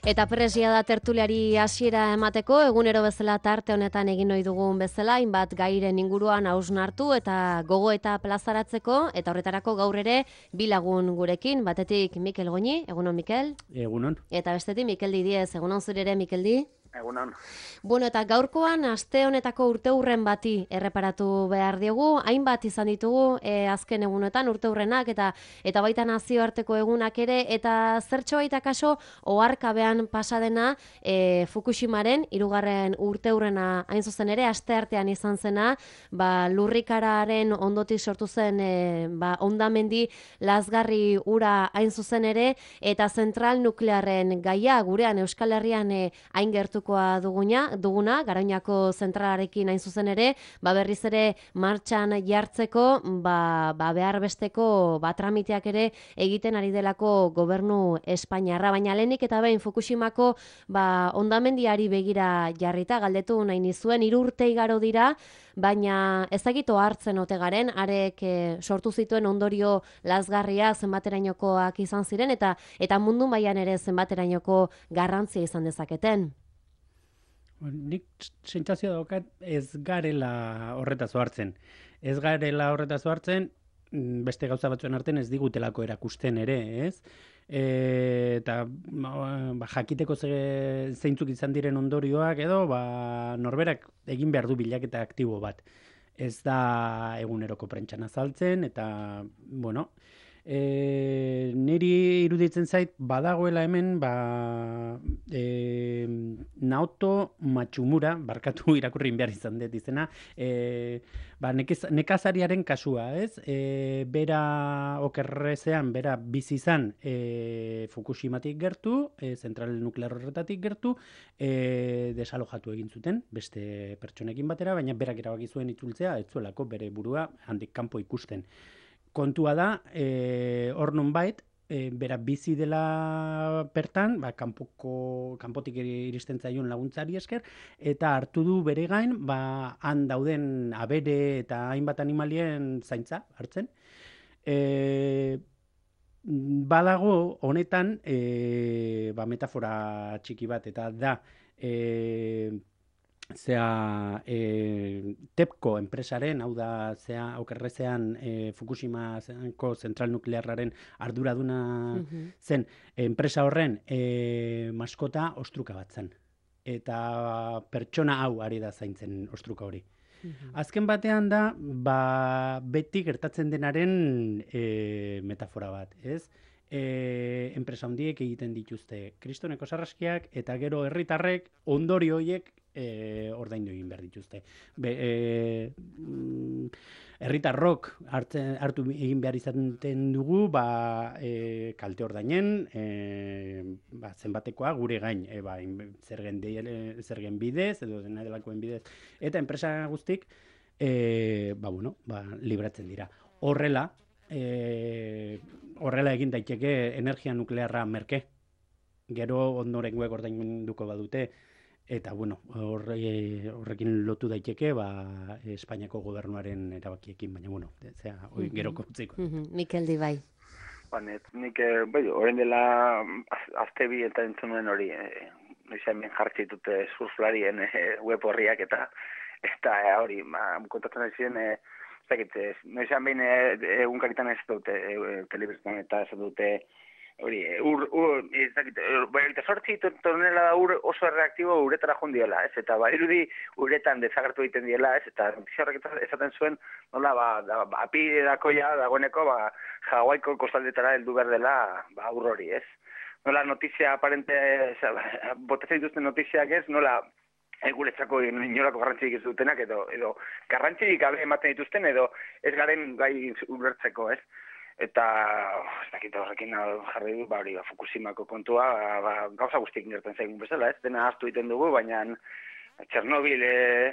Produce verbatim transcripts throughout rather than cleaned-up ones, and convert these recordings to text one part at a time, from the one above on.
Eta presia da tertuliari hasiera emateko, egunero bezala tarte honetan egin ohi dugun bezala, hainbat gairen inguruan hausnartu eta gogo eta plazaratzeko, eta horretarako gaur ere bi lagun gurekin, batetik Mikel Goñi, egunon Mikel. Egunon. Eta bestetik Mikel Didiez, egunon zure ere Mikel Di. Egunon. Bueno, eta gaurkoan aste honetako urteurren bati erreparatu behar diogu, hainbat izan ditugu e, azken egunetan urteurrenak eta eta baita nazioarteko egunak ere, eta zertxo baita kaso oharkabean pasadena e, Fukushimaren hirugarren urteurrena hain zuzen ere aste artean izan zena, ba, lurrikararen ondotik sortu zen e, ba, hondamendi lazgarri ura hain zuzen ere, eta zentral nuklearren gaia gurean Euskal Herrian e, hain gertu Duguna, duguna, Garoñako zentralarekin hain zuzen ere, ba berriz ere martxan jartzeko, ba, ba behar besteko ba, tramiteak ere egiten ari delako gobernu Espainiarra, baina lehenik eta behin Fukushimako ba, hondamendiari begira jarrita, galdetu nahi nizuen, hiru urte igaro dira, baina ezagito hartzen ote garen, arek e, sortu zituen ondorio lazgarria zenbaterainokoak izan ziren, eta eta mundu mailan ere zenbaterainoko garrantzia izan dezaketen. Nik sentsazio daukat ez garela horretaz hartzen. Ez garela horretaz hartzen, beste gauza batzuen artean ez digutelako erakusten ere, ez? E, eta ba, jakiteko ze, zeintzuk izan diren ondorioak edo ba, norberak egin behar du bilaketa aktibo bat. Ez da eguneroko prentsan azaltzen eta, bueno, E, niri iruditzen zait badagoela hemen ba, e, Naoto Matsumura, barkatu irakurri behar izan dut izena, e, ba, nekez, nekazariaren kasua, ez? E, bera okerrezean, bera bizi izan e, Fukushimatik gertu, e, zentral nuklear horretatik gertu, e, desalojatu egin zuten, beste pertsonekin batera, baina berak erabaki zuen itzultzea, ez zuelako bere burua handik kanpo ikusten. Kontua da, e, hor nonbait, e, bera bizi dela bertan, ba, kanpoko, kanpotik iristen zaion laguntzari esker, eta hartu du bere gain, ba, han dauden abere eta hainbat animalien zaintza hartzen. E, badago honetan, e, ba, metafora txiki bat, eta da, e, zea e, Tepco enpresaren, hau da zea okerrezean e, Fukushimako zentral nuklearraren arduraduna uh-huh. zen enpresa horren e, maskota ostruka bat zen. Eta pertsona hau ari da zaintzen ostruka hori. Uh-huh. Azken batean da, ba, beti gertatzen denaren e, metafora bat, ez? E, enpresa handiek egiten dituzte kristoneko sarraskiak eta gero herritarrek ondorio horiek e, ordaindu egin behar dituzte. Be, e, herritarrok hartzen, hartu egin behar izaten dugu ba, e, kalte ordainen e, ba, zenbatekoa gure gain e, ba, zergen, de, zergen bidez edo dena delakoen bidez eta enpresa guztik e, ba, bueno, ba, libratzen dira. Horrela, E, horrela egin daiteke energia nuklearra merke. Gero ondorengoek ordainduko badute eta bueno, horre, horrekin lotu daiteke ba, Espainiako gobernuaren erabakiekin, baina bueno, zera, hori mm-hmm. geroko utziko. Mm-hmm. Mikel Di bai. Banet, nik, bai, orain dela azte bi eta entzunuen hori, e, noizean ben jartzitute surflarien e, web horriak eta eta hori, ma, kontatzen ari ziren, e, noizean behin egunkaritan ez dute e, telebiztan eta ez dute hori, ur, ur, ez dakit, eta sortzi tonela da ur oso reaktibo uretara joan diela, ez, eta ba, irudi uretan dezagertu egiten diela, ez, eta notizia horrek esaten zuen, nola, ba, da, ba apirako ja, dagoeneko, ba, Hawaiko kostaldetara heldu behar dela, ba, ur hori, ez. Nola, notizia aparente, botatzen dituzten notiziak ez, nola, guretzako inolako garrantzirik ez dutenak, edo, edo garrantzirik gabe ematen dituzten, edo ez garen gai ulertzeko, ez? Eta, oh, ez dakit horrekin jarri du, ba, hori, ba, Fukushimako kontua, ba, gauza guztiak gertzen zaigun bezala, ez? Dena ahaztu egiten dugu, baina Txernobil, e,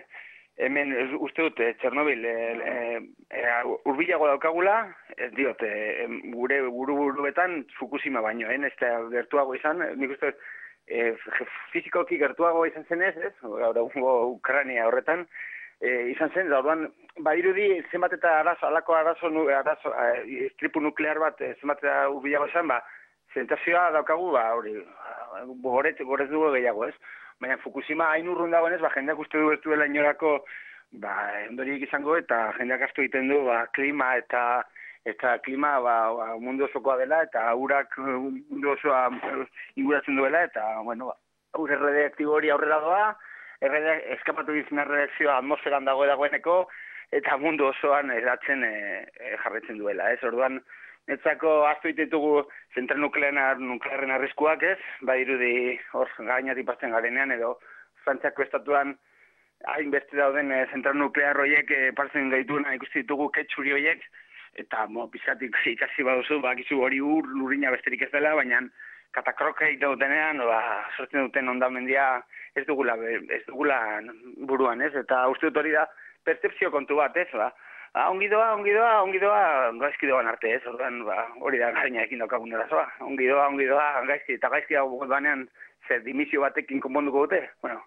hemen, uste dut, Txernobil, e, e, e, urbilago daukagula, ez diot, e, gure buru-buruetan Fukushima baino, eh? Ez da gertuago izan, nik uste dut, E, fizikoki gertuago izan zenez, ez? Gaur egungo Ukraina horretan, e, izan zen, da orduan, badirudi zenbat eta arazo, alako arazo, arazo, e, istripu nuklear bat, zenbat eta urbilago izan, ba, Sentsazioa daukagu, ba, hori, goretz, goretz dugu gehiago, ez? Baina Fukushima hain urrun dagoenez, ba, jendeak uste du ez duela inorako, ba, ondoriek izango, eta jendeak asko egiten du, ba, klima eta eta klima ba, ba, mundu osokoa dela, eta urak mundu osoa inguratzen duela, eta, bueno, ba, ur erradioaktibo hori aurrera doa, errade, eskapatu dizena erradioakzioa atmosferan dago dagoeneko, eta mundu osoan eratzen e, e, jarretzen duela, ez? Orduan, netzako ahaztu ditugu zentral nuklearren arriskuak, ez? Badirudi hor gainatik pasten garenean, edo Frantziako estatuan hainbeste dauden e, zentral nuklear horiek e, partzen gaituena ikusti ditugu ketxuri horiek, eta mo, pizkatik ikasi baduzu, bakizu hori ur lurrina besterik ez dela, baina katakrokei dautenean, ba, sortzen duten ondamendia ez dugula, ez dugula buruan, ez? Eta uste dut hori da percepzio kontu bat, ez? Ba, ba, ongi doa, ongi doa, ongi doa, gaizki doan arte, ez? Orduan, ba, hori da gaina ekin daukagun erazoa. Ongi doa, ongi doa, gaizki, eta gaizki dago banean, zer dimisio batekin konponduko dute? Bueno,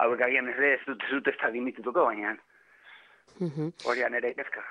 hauek agian ez ez dut ez dut ez da dimitituko, baina horian ere kezka.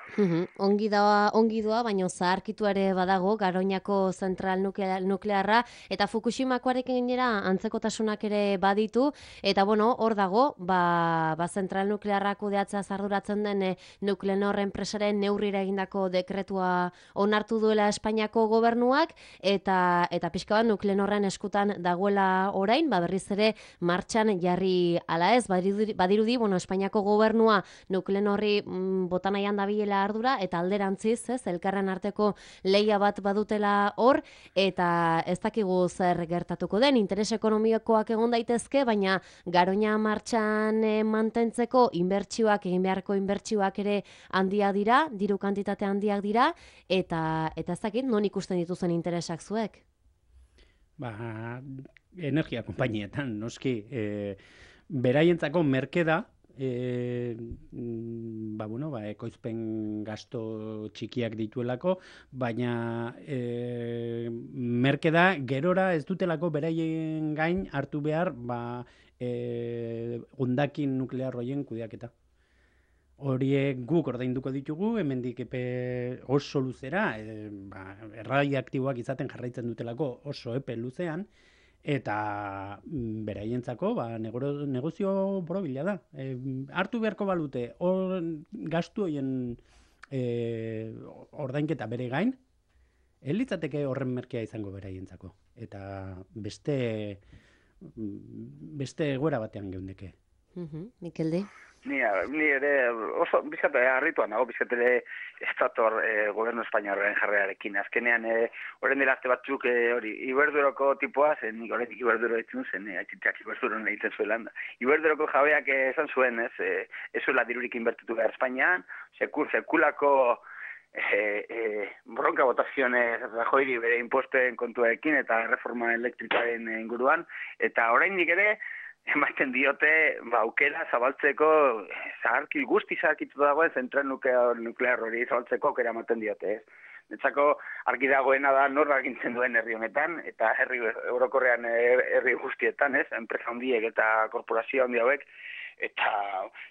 Ongi doa, ongi doa, baina zaharkitu ere badago Garoñako zentral nuklearra, eta Fukushimakoarekin gainera antzekotasunak ere baditu, eta bueno, hor dago, ba, ba zentral nuklearra kudeatzea arduratzen den e, Nuclenor enpresaren neurrira egindako dekretua onartu duela Espainiako gobernuak, eta eta pixka bat Nuclenorren eskutan dagoela orain, ba berriz ere martxan jarri ala ez, badirudi, badirudi bueno, Espainiako gobernua Nuclenorri bota nahian dabilela ardura, eta alderantziz, ez, elkarren arteko leia bat badutela hor, eta ez dakigu zer gertatuko den, interes ekonomikoak egon daitezke, baina Garoña martxan e, mantentzeko inbertsioak, egin beharko inbertsioak ere handia dira, diru kantitate handiak dira, eta eta ez dakit non ikusten dituzen interesak zuek? Ba, energia konpainietan, noski, e, beraientzako merke da, E, ba, bueno, ba, ekoizpen gasto txikiak dituelako, baina e, merke da gerora ez dutelako beraien gain hartu behar ba, e, hondakin nuklear horien kudeaketa. Horiek guk ordainduko ditugu, hemendik epe oso luzera, e, ba, erradioaktiboak izaten jarraitzen dutelako oso epe luzean, eta beraientzako ba, negozio borobila da. E, hartu beharko balute, hor gastu horien e, ordainketa bere gain, elitzateke horren merkea izango beraientzako. Eta beste, beste egoera batean geundeke. Uh-huh. Mikeldi? Ni, ni ere oso bizkate harrituan nago, bizkate ere estator e, gobernu espainiarren jarrearekin. Azkenean, e, horren dela azte batzuk e, hori, Iberduroko tipoa, zen nik horretik Iberduro ditzen zen, e, aitzitak Iberduro egiten zuelan. Iberduroko jabeak e, esan zuen, ez, e, ez zuela dirurik inbertitu behar Espainian, sekur, sekulako e, e, bronka botaziones Rajoyri bere imposten kontuarekin eta reforma elektrikaren inguruan, eta oraindik ere, ematen diote, ba, aukera zabaltzeko, zaharki, guzti zaharkitu dagoen zentral nuklear, nuklear hori zabaltzeko aukera ematen diote, ez. Netzako argi dagoena da nor agintzen duen herri honetan, eta herri orokorrean herri guztietan, ez, enpresa handiek eta korporazio handi hauek, eta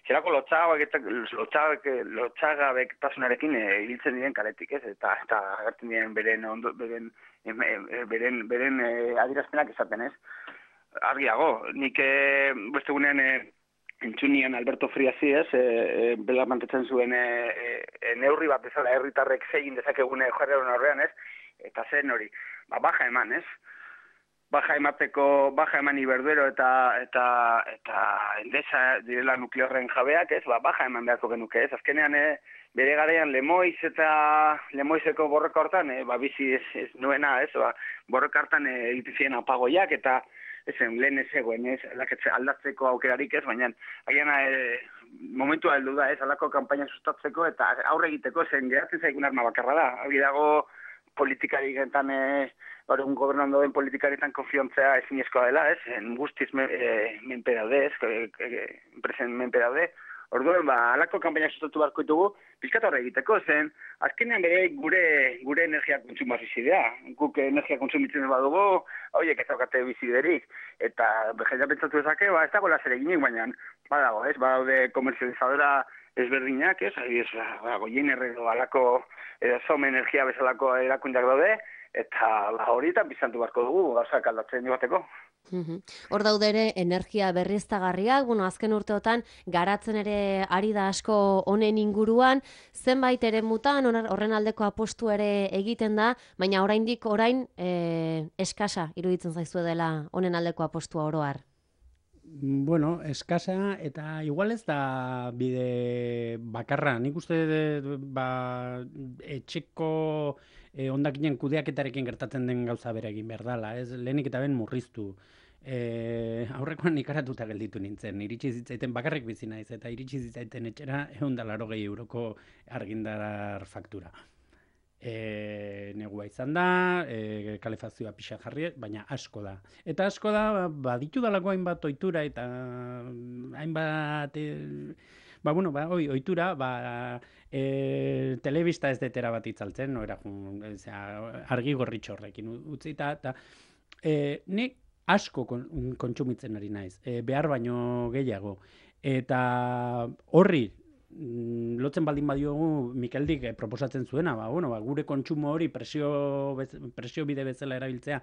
zerako lotxagabek eta lotxagabek, lotxagabek tasunarekin hiltzen diren kaletik, ez, eta eta agertzen diren beren, ondo, beren, beren, beren eh, adierazpenak esaten, ez. Argiago, nik e, beste gunean e, entzunian Alberto Friasi, ez, e, e, bela mantetzen zuen e, e, neurri bat bezala herritarrek zegin dezakegune jarreron horrean, ez, eta zen hori, ba, baja eman, ez, baja emateko, baja eman Iberduro eta eta eta Endesa direla nuklearren jabeak, ez, ba, baja eman beharko genuke, ez, azkenean, e, bere garaian Lemoiz eta Lemoizeko borroka hortan, e, ba, bizi ez, ez nuena, ez, ba, borroka hortan egiten ziren apagoiak, eta ezen, lehen ez egoen, ez, aldatzeko aukerarik ez, baina agian e, momentua heldu da, ez, alako kanpaina sustatzeko eta aurre egiteko zen geratzen zaigun arma bakarra da. Hagi dago politikariketan, e, un gobernuan doen politikarietan konfiontzea ezinezkoa dela, ez, guztiz me, e, menpe daude, ez, e, e, enpresen menpe daude. Orduan, ba, alako kanpaina sustatu beharko ditugu, pizkat horre egiteko, zen, azkenean bere gure gure energia kontsumoa bizidea. Guk energia kontsumitzen badugu, horiek ez daukate biziderik. Eta jendea pentsatu dezake, ba, ez dago zer eginik, baina badago, ez, badaude komerzializadora ezberdinak, ez, ez, ba, goien erredo alako, edo som energia bezalako erakundak daude, eta la horietan bizantu beharko dugu, gauzak aldatzen joateko. Hor daude ere energia berriztagarriak, bueno, azken urteotan garatzen ere ari da asko honen inguruan, zenbait ere mutan horren aldeko apostu ere egiten da, baina oraindik orain e, eskasa iruditzen zaizue dela honen aldeko apostua oro har. Bueno, eskasa eta igual ez da bide bakarra. Nik uste ba, etxeko eh, hondakinen kudeaketarekin gertatzen den gauza bere egin behar dela. Ez lehenik eta ben murriztu. Eh, aurrekoan ikaratuta gelditu nintzen. Iritsi zitzaiten bakarrik bizi naiz eta iritsi zitzaiten etxera ehun eta laurogei euroko argindar faktura. E, negua izan da, e, kalefazioa pixa jarri, baina asko da. Eta asko da, baditu dalako hainbat ohitura eta hainbat, e, ba, bueno, ba, oi, ohitura, ba, e, telebista ez detera bat itzaltzen, no, era, zera, argi gorritxorrekin utzita, eta e, nik asko kon, kontsumitzen ari naiz, e, behar baino gehiago. Eta horri, lotzen baldin badiogu Mikeldik eh, proposatzen zuena, ba, bueno, ba, gure kontsumo hori presio, bez, presio bide bezala erabiltzea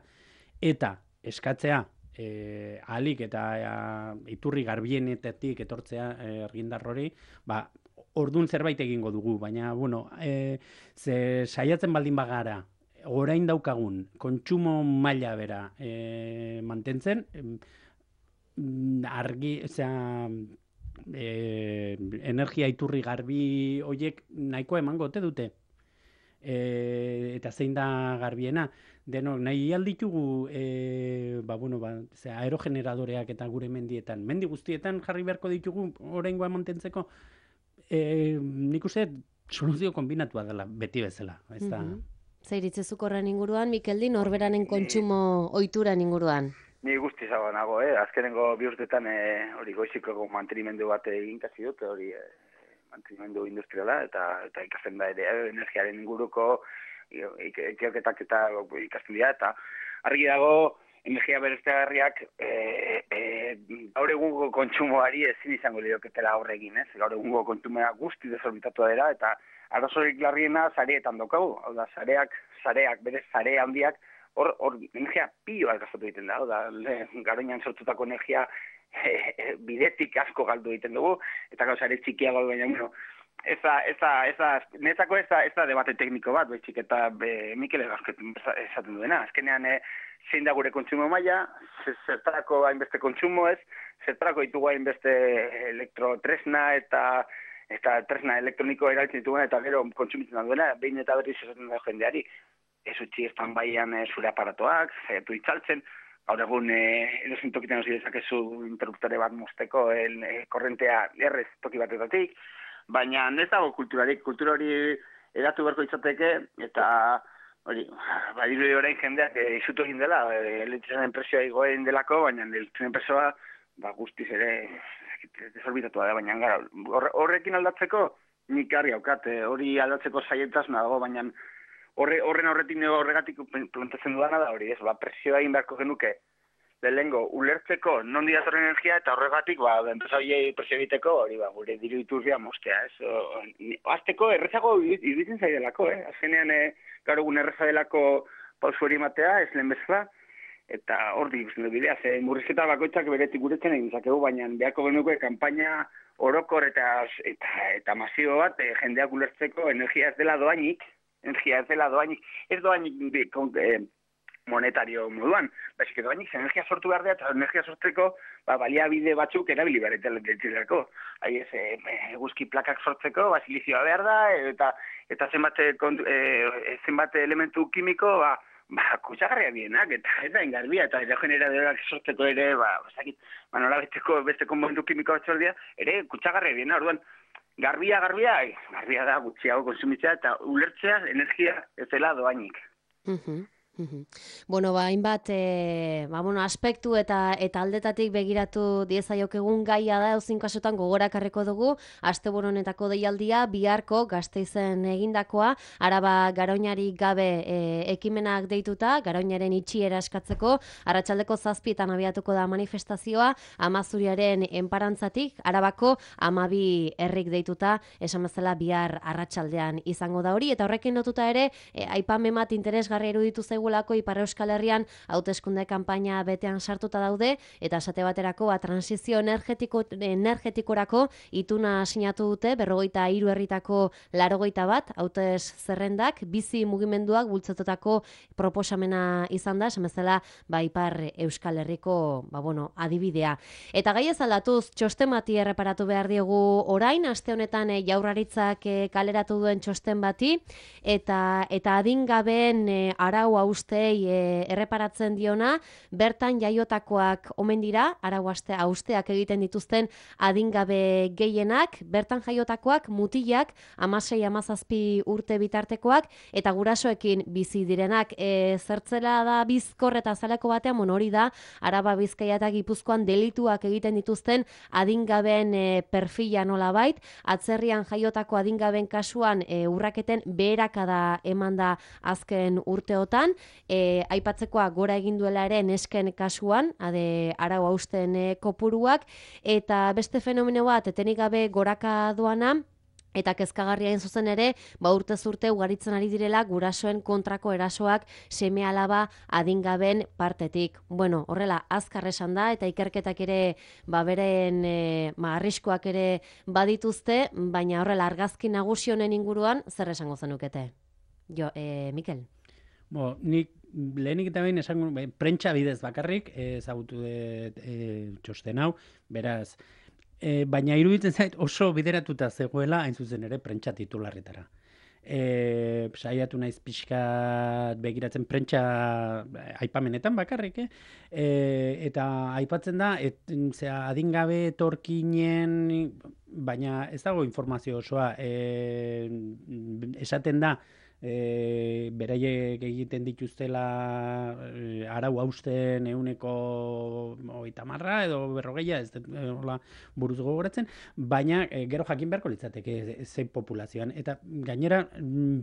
eta eskatzea eh, ahalik eta eh, iturri garbienetetik etortzea eh, argindar hori, ba, ordun zerbait egingo dugu, baina, bueno, eh, ze saiatzen baldin bagara orain daukagun kontsumo maila bera eh, mantentzen, eh, argi, osea, E, energia iturri garbi hoiek nahikoa emango ote dute. E, eta zein da garbiena? Denok, nahi alditugu e, ba, bueno, ba, zera, aerogeneradoreak eta gure mendietan. Mendi guztietan jarri beharko ditugu oraingoa mantentzeko. E, nik uste soluzio kombinatua dela beti bezala. Ez da... Mm-hmm. Zeiritzezuk horren inguruan, Mikeldi, norberanen kontsumo ohituran inguruan? Ni guzti zago nago, eh? Azkenengo bi urtetan hori eh, goiziko mantenimendu bat egin kasi dut, hori eh, mantenimendu industriala, eta, eta ikasten da ere eh, energiaren inguruko ikerketak eta ikasten dira, eta argi dago energia berriztagarriak eh, eh, gaur egungo kontsumoari ezin izango lioketela aurre egin, ez? Gaur egungo kontsumoa guzti desorbitatua dira, eta arazorik larriena sareetan daukagu, hau da, sareak, sareak, berez sare handiak, Hor, hor, energia pilo bat gastatu egiten da, da garoinan sortutako energia e, e, bidetik asko galdu egiten dugu, eta gauza ere txikiago baina, bueno, ez da, ez da, ez da, netako ez da, ez da debate tekniko bat, betxik, eta be, Mikel esaten duena, azkenean e, zein da gure kontsumo maila, zertarako hainbeste kontsumo ez, zertarako ditugu hainbeste elektrotresna eta eta tresna elektroniko erabiltzen dituguna, eta gero kontsumitzen da duena, behin eta berriz esaten da jendeari, ez utzi estan baian e, zure aparatoak, zaitu itzaltzen, gaur egun e, edozein tokitan hori dezakezu interruptore bat mozteko el, e, korrentea errez toki batetatik, baina ez dago kulturarik, kultura hori edatu beharko izateke, eta hori, badiru orain jendeak e, izutu egin dela, e, elektriziaren presioa igoen delako, baina elektriziaren presioa ba, guztiz ere desorbitatua da, baina gara, horrekin aldatzeko nik garri haukat, e, hori aldatzeko saietasuna dago, baina Horre, horren horretik horregatik plantatzen dudana da hori, ez, ba, presioa egin beharko genuke lehengo ulertzeko non didatorren energia eta horregatik, ba, enpresa hori presio egiteko, hori, ba, gure diru iturria mostea, ez. O, azteko errezago iruditzen zaidelako, eh? Azkenean, e, gaur egun erreza delako pausu hori matea, ez lehen bezala, eta hor ikusten du bidea, ze murrizketa bakoitzak beretik guretzen egin zakegu, baina beharko genuke kanpaina orokor eta, eta, eta masio bat, e, jendeak ulertzeko energia ez dela doainik, energia ez dela doainik, ez doainik eh, monetario moduan, baizik doainik energia sortu behar da, eta energia sortzeko ba, baliabide batzuk erabili behar etelako. Hai ez, e, eguzki plakak sortzeko, ba, silizioa behar da, eta, eta zenbat, e, zenbat elementu kimiko, ba, ba, kutsagarria bienak, eta eta engarbia, eta aerogeneradoreak sortzeko ere, ba, ezakit, ba, nola beteko beste konponentu kimiko bat sortzea, ere kutsagarria biena, orduan, Garbia, garbia, garbia da gutxiago konsumitzea eta ulertzea energia ez dela doainik. Uh-huh. Bueno, ba, hainbat, e, ba, bueno, aspektu eta eta aldetatik begiratu diezaiokegun gaia da, euzin kasutan gogorakarreko dugu, asteburu honetako deialdia, biharko Gasteizen egindakoa, Araba Garoñari gabe e, ekimenak deituta, Garoñaren itxiera eskatzeko, arratsaldeko zazpietan abiatuko da manifestazioa, Amazuriaren enparantzatik, Arabako amabi herrik deituta, esan bezala bihar arratsaldean izango da hori, eta horrekin lotuta ere, e, aipamen bat interesgarria iruditu zaigu gulako Ipar Euskal Herrian hauteskunde kanpaina betean sartuta daude eta esate baterako ba, transizio energetiko, energetikorako ituna sinatu dute berrogeita hiru herritako laurogeita bat hautes zerrendak bizi mugimenduak bultzatutako proposamena izan da, esan bezala ba, Ipar Euskal Herriko ba, bueno, adibidea. Eta gai ez aldatuz txosten bati erreparatu behar diegu orain, aste honetan e, Jaurlaritzak e, kaleratu duen txosten bati eta, eta adingabeen e, arau haustei e, erreparatzen diona, bertan jaiotakoak omen dira, arau hausteak egiten dituzten adingabe gehienak, bertan jaiotakoak mutilak, hamasei hamazazpi urte bitartekoak, eta gurasoekin bizi direnak e, zertzela da bizkor eta zaleko batean, mon hori da, Araba Bizkaia eta Gipuzkoan delituak egiten dituzten adingaben e, perfila nolabait, atzerrian jaiotako adingaben kasuan e, urraketen beherakada eman da azken urteotan, E, aipatzekoa gora egin duela ere nesken kasuan, ade arau hausten e, kopuruak, eta beste fenomeno bat etenik gabe goraka doana, eta kezkagarria hain zuzen ere, ba urtez urte ugaritzen ari direla gurasoen kontrako erasoak seme alaba adingaben partetik. Bueno, horrela azkar esan da eta ikerketak ere ba beren e, ba, arriskoak ere badituzte, baina horrela argazki nagusi honen inguruan zer esango zenukete? Jo, e, Mikel. Bo, nik lehenik eta behin esango, prentsa bidez bakarrik ezagutu dut e, txosten hau, beraz, e, baina iruditzen zait oso bideratuta zegoela hain zuzen ere prentsa titularretara. E, saiatu naiz pixkat begiratzen prentsa aipamenetan bakarrik, eh? E, eta aipatzen da, et, zera, adingabe etorkinen, baina ez dago informazio osoa, e, esaten da, E, beraiek egiten dituztela e, arau hausten euneko hogeita marra edo berrogeia, ez dut e, buruz gogoratzen, baina e, gero jakin beharko litzateke zein populazioan. Eta gainera,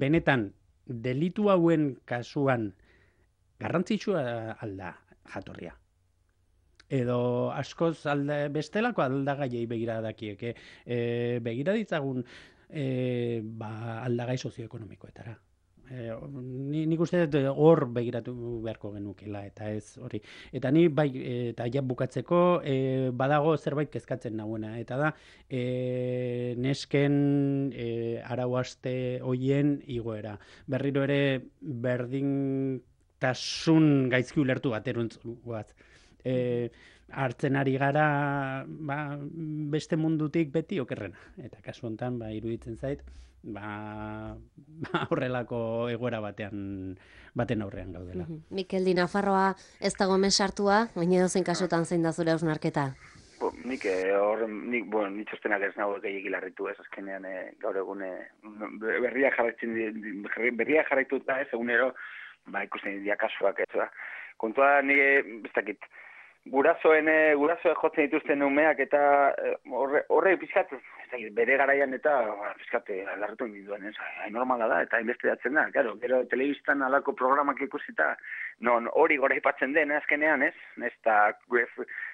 benetan, delitu hauen kasuan garrantzitsua alda jatorria. Edo askoz alda, bestelako aldagaiei begira dakieke. E, begira ditzagun e, ba, aldagai sozioekonomikoetara. E, ni, nik uste dut hor begiratu beharko genukela, eta ez hori. Eta ni bai, eta ja bukatzeko, e, badago zerbait kezkatzen nagoena, eta da, e, nesken e, arau aste hoien igoera. Berriro ere berdintasun gaizki ulertu bat eruntzuaz. E, hartzen ari gara ba, beste mundutik beti okerrena. Eta kasu honetan, ba, iruditzen zait, ba, ba horrelako egoera batean baten aurrean gaudela. Mm-hmm. Mikel Di Nafarroa ez dago hemen sartua, baina dozein kasutan zein da zure hausnarketa? Bo, nik hor, nik, bueno, nik txostenak ez nago gehiagik larritu ez, azkenean e, gaur egun e, berria jarraitzen berria jarraituta ez, egunero, ba, ikusten dira kasuak ez, ba. Kontua nire, ez dakit, Gurasoen, gurasoen jotzen dituzten umeak eta horre, horre pizkat, bere garaian eta pizkat larretu induen, ez, hain normala da eta investigatzen da, claro, gero telebistan alako programak ikusita, non hori gora ipatzen den, azkenean, ez, ez da,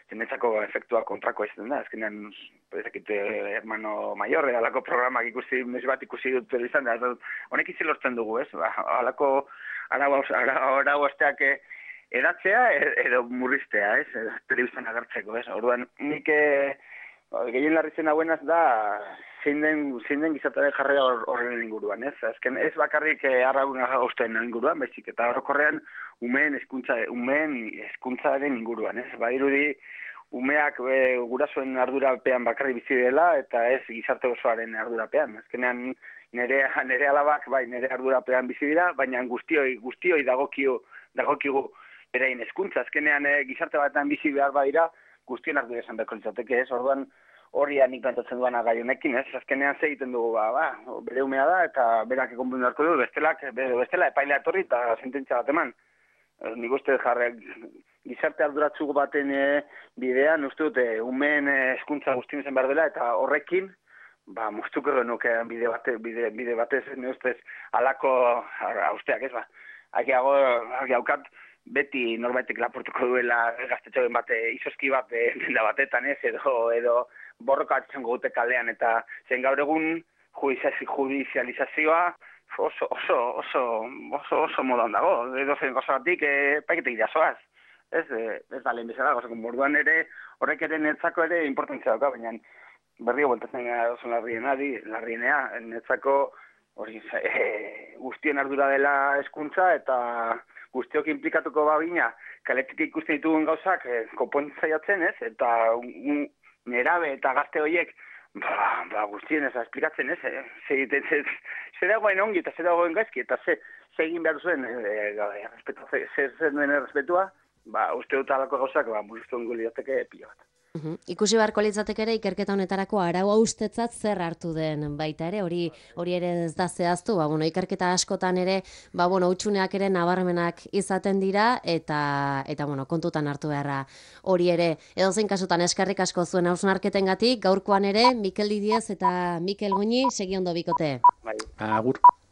zenetzako efektua kontrako izaten da, azkenean, ezakite, hermano mayor, alako programak ikusi, mes bat ikusi dut telebistan da, honek izi lortzen dugu, ez, alako arau asteak edatzea edo murriztea, ez, telebistan agertzeko, ez, orduan, nik gehien larritzen hauenaz da, zein den, zein den gizataren jarrera horren inguruan, ez, azken ez bakarrik arraun hausten inguruan, baizik, eta orokorrean umeen hezkuntza, umeen hezkuntzaren inguruan, ez, badirudi umeak e, gurasoen ardurapean bakarrik bizi dela, eta ez gizarte osoaren ardurapean, azkenean nire, nire alabak, bai, nire ardurapean bizi dira, baina guztioi, guztioi dagokio, dagokigu berain hezkuntza, azkenean e, gizarte batean bizi behar badira, guztien ardura esan beharko litzateke, ez, orduan horria nik plantatzen duana gai honekin, ez, azkenean ze egiten dugu, ba, ba, bere umea da, eta berak ekonbun beharko du, bestelak, bestela epailea etorri eta sententzia bat eman. nik uste jarre gizarte arduratsu baten e, bidean, uste dut, e, umeen hezkuntza guztien zen behar dela, eta horrekin, ba, moztuko genuke bide, bate, bide, bide batez, ne ustez, alako austeak ez, ba. Hagiago, hagiaukat, beti norbaitek lapurtuko duela gaztetxoen bate, izoski bat denda batetan ez, edo, edo borroka atzen gute kalean, eta zen gaur egun judizializazioa oso, oso, oso, oso, oso modan dago, edo zen gozagatik, e, paiketek jasoaz. Ez, ez da lehen bezala, gozak, morduan ere, horrek ere netzako ere importantzia dauka, baina berrio bueltatzen gara oso larrienari, larrienea, netzako hori e, guztien ardura dela hezkuntza eta guztiok implikatuko babina, kaletik ikusten ditugun gauzak e, konpontzaiatzen ez, eta un, nerabe eta gazte horiek ba, ba guztien ez, esplikatzen ez, e, ze, ze, ze, ze dagoen ongi eta ze dagoen gaizki, eta ze, ze egin behar zuen, e, e, respetu, ze, ze zen duen errespetua, ba, uste dut alako gauzak, ba, murriztu ongo lirateke pila bat. Uhum. Ikusi beharko litzateke ere ikerketa honetarako arau haustetzat zer hartu den baita ere, hori hori ere ez da zehaztu, ba, bueno, ikerketa askotan ere, ba, bueno, hutsuneak ere nabarmenak izaten dira, eta, eta bueno, kontutan hartu beharra hori ere. Edozein kasutan eskerrik asko zuen hausnarketengatik, gaurkoan ere, Mikel Didiez eta Mikel Goñi, segi ondo bikote. Bai. Agur.